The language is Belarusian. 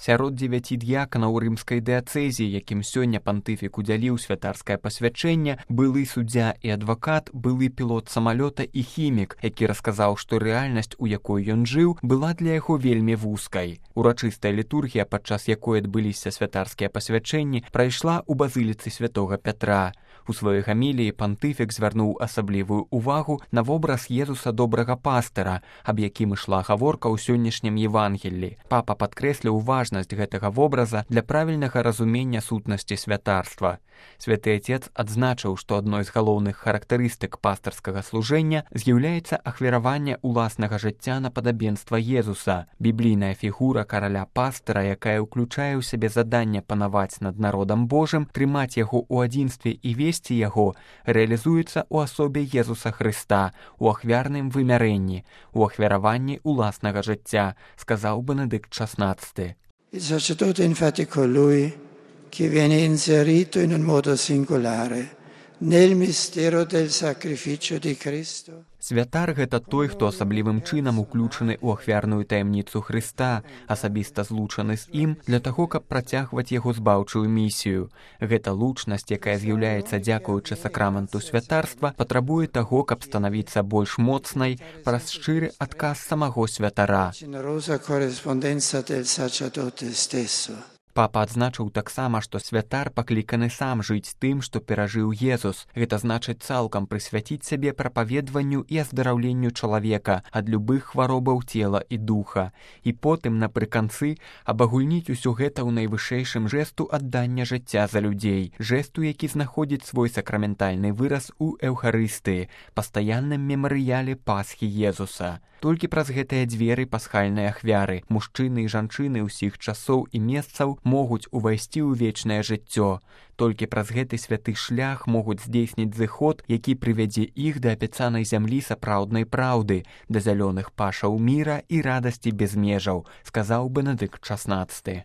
Сярод 9 д'яканаў рымскай дыяцэзіі, якім сёння пантыфік удзяліў святарскае пасвячэнне, былы суддзя і адвакат, былы пілот самалёта і хімік, які расказаў, што рэальнасць, у якой ён жыў, была для яго вельмі вузкай. Урачыстая літургія, падчас якой адбыліся святарскія пасвячэнні, прайшла ў базыліцы святога Пятра. У сваёй гаміліі пантыфік звярнуў асаблівую ўвагу на вобраз Езуса добрага пастыра, аб якім ішла гаворка ў сённяшнім Евангеллі. Папа падкрэсліў важнасць гэтага вобраза для правільнага разумення сутнасці святарства. Святы Отец адзначыў, што адной з галоўных характарыстык пастырскага служэння з'яўляецца ахвяраванне ўласнага жыцця на падабенства Езуса. Біблійная фігура караля-пастыра, якая ўключае ў сябе заданне панаваць над народам Божым, трымаць яго ў адзінстве і весці яго, рэалізуецца ў асобе Езуса Хрыста, у ахвярным вымярэнні, у ахвяраванні ўласнага жыцця, сказаў Бенедикт XVI. Il sacerdote infatti colui che viene inserito in un modo singolare nel mistero del sacrificio di Cristo. Святар – гэта той, хто асаблівым чынам уключаны ў ахвярную таямніцу Хрыста, асабіста злучаны з ім для таго, каб працягваць яго збаўчую місію. Гэта лучнасць, якая з'яўляецца дзякуючы сакраменту святарства, патрабуе таго, каб станавіцца больш моцнай праз шчыры адказ самого святара. Папа адзначыў таксама, што святар пакліканы сам жыць тым, што перажыў Езус. Гэта значыць цалкам прысвяціць сябе прапаведванню і аздараўленню чалавека ад любых хваробаў цела і духа. І потым, напрыканцы, абагульніць усё гэта ў найвышэйшым жэсту аддання жыцця за людзей, жэсту, які знаходзіць свой сакраментальны выраз у Эўхарыстыі, пастаянным мемарыяле Пасхі Езуса. Толькі праз гэтыя дзверы пасхальнай ахвяры мужчыны і жанчыны ўсіх часоў і месцаў могуць увайсці ў вечнае жыццё. Толькі праз гэты святы шлях могуць здзейсніць зыход, які прывядзе іх да абяцанай зямлі сапраўднай праўды, да зялёных пашаў міра і радасці без межаў, сказаў Бенедикт XVI.